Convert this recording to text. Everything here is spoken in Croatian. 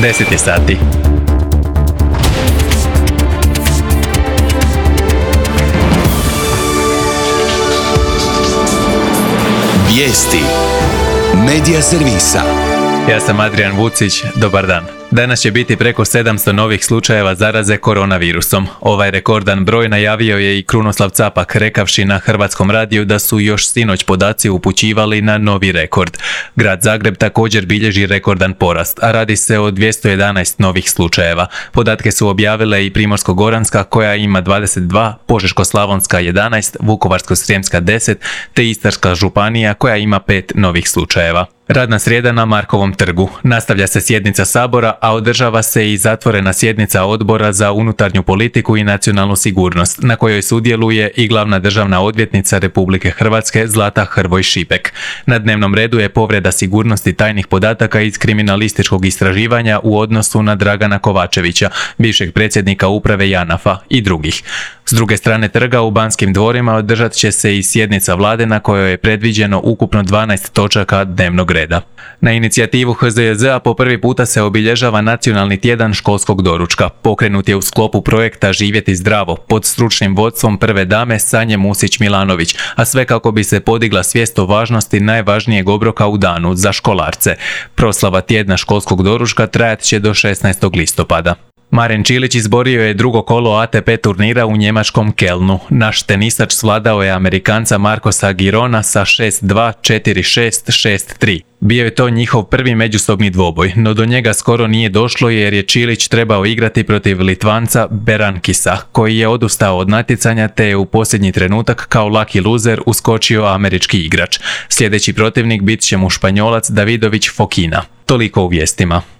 10 je sati. Vijesti Medija servisa. Ja sam Adrian Vucić, dobar dan. Danas će biti preko 700 novih slučajeva zaraze koronavirusom. Ovaj rekordan broj najavio je i Krunoslav Capak, rekavši na Hrvatskom radiju da su još sinoć podaci upućivali na novi rekord. Grad Zagreb također bilježi rekordan porast, a radi se o 211 novih slučajeva. Podatke su objavile i Primorsko-goranska koja ima 22, Požeško-slavonska 11, Vukovarsko-srijemska 10, te Istarska županija koja ima 5 novih slučajeva. Radna srijeda na Markovom trgu. Nastavlja se sjednica Sabora, a održava se i zatvorena sjednica Odbora za unutarnju politiku i nacionalnu sigurnost, na kojoj sudjeluje i glavna državna odvjetnica Republike Hrvatske Zlata Hrvoj Šipek. Na dnevnom redu je povreda sigurnosti tajnih podataka iz kriminalističkog istraživanja u odnosu na Dragana Kovačevića, bivšeg predsjednika uprave JANAF-a i drugih. S druge strane trga u Banskim dvorima održat će se i sjednica vlade na kojoj je predviđeno ukupno 12 točaka dnevnog reda. Na inicijativu HZJZ-a po prvi puta se obilježava Nacionalni tjedan školskog doručka. Pokrenut je u sklopu projekta Živjeti zdravo pod stručnim vodstvom prve dame Sanje Musić-Milanović, a sve kako bi se podigla svijest o važnosti najvažnijeg obroka u danu za školarce. Proslava tjedna školskog doručka trajat će do 16. listopada. Maren Čilić izborio je drugo kolo ATP turnira u njemačkom Kelnu. Naš tenisač svladao je Amerikanca Marcosa Girona sa 6-2, 4-6, 6-3. Bio je to njihov prvi međusobni dvoboj, no do njega skoro nije došlo jer je Čilić trebao igrati protiv Litvanca Berankisa, koji je odustao od natjecanja te je u posljednji trenutak kao lucky loser uskočio američki igrač. Sljedeći protivnik bit će mu Španjolac Davidović Fokina. Toliko u vijestima.